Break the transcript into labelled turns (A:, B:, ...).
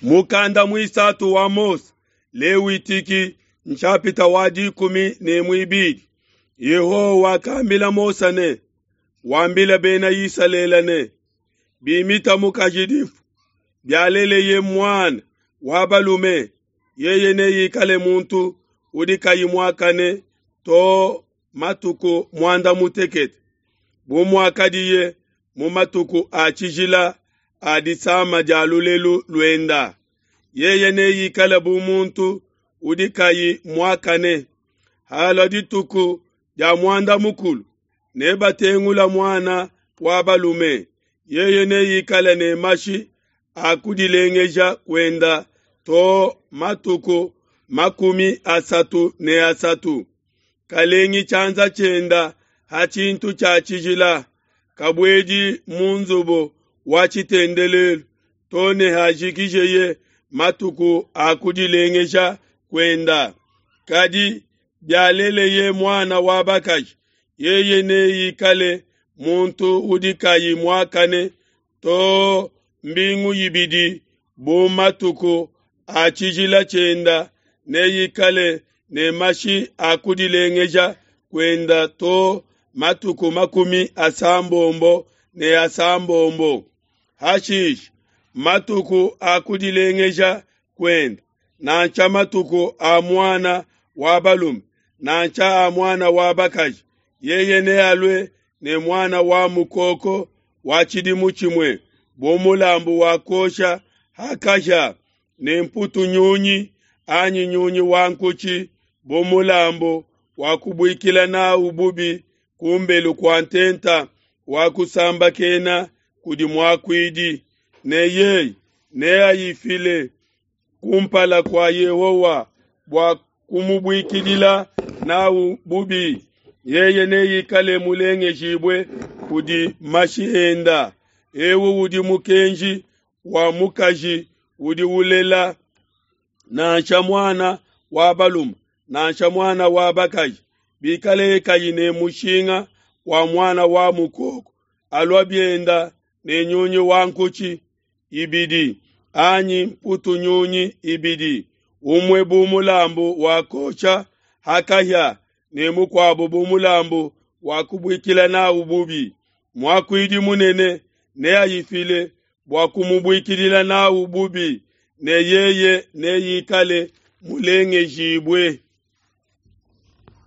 A: Mukanda muisatu wa Mose, Lewitiki nshapita wa 12. Yehowa wakambila Mose ne, wambila bena Isalele ne, bimita mukaji difu, bialeleye muana wa balume, yeye neikale muntu udi kayi muakane to matuku muanda mutekete, bu muakadiye mu matuku a tshijila a disama dia lulelu luenda. Yeye neikale bu muntu udi kayi muakane. Halua dituku dia muanda mukulu, nebatengula muana wa balume, yeye neikale ne mashi a kudilengeja kuenda to matuku 33. Kalengi tshianza tshienda ha tshintu tshia tshijila, kabuedi mu nzubu wa tshitendelelu to ne hajikijeye matuku a kudilengeja kuenda. Kadi bialeleye muana wa bakaji, yeye neikale muntu udi kayi muakane to mbingu ibidi bu matuku a tshijila tshienda, neikale ne mashi a kudilengeja kuenda to matuku 66. Hashishe matuku a kudilengeja kuenda, nansha matuku a muana wa balume nansha a muana wa bakaji, yeye nealue ne muana wa mukoko wa tshidimu tshimue bu mulambu wa kuosha ha kahia, ne mputu nyunyi anyi nyunyi wa nkutshi bu mulambu wa kubuikila nawu bubi kumbelu kua ntenta wa kusambakena kudi muakuidi, ne yeye neayifile kumpala kua Yehowa bua kumubuikidila nawu bubi. Yeye neikale mulengejibue kudi mashi enda. Ewu udi mukenji wa mukaji udi ulela nansha muana wa balume nansha muana wa bakaji, bikaleye kayi ne mushinga wa muana wa mukoko, alua bienda ne nyunyi wa nkutshi ibidi anyi mputu nyunyi ibidi, umue bu mulambu wa kuosha ha kahia ne mukuabu bu mulambu wa kubuikila nawu bubi. Muakuidi munene neayifile bua kumubuikidila nawu bubi, ne yeye neikale mulengejibue.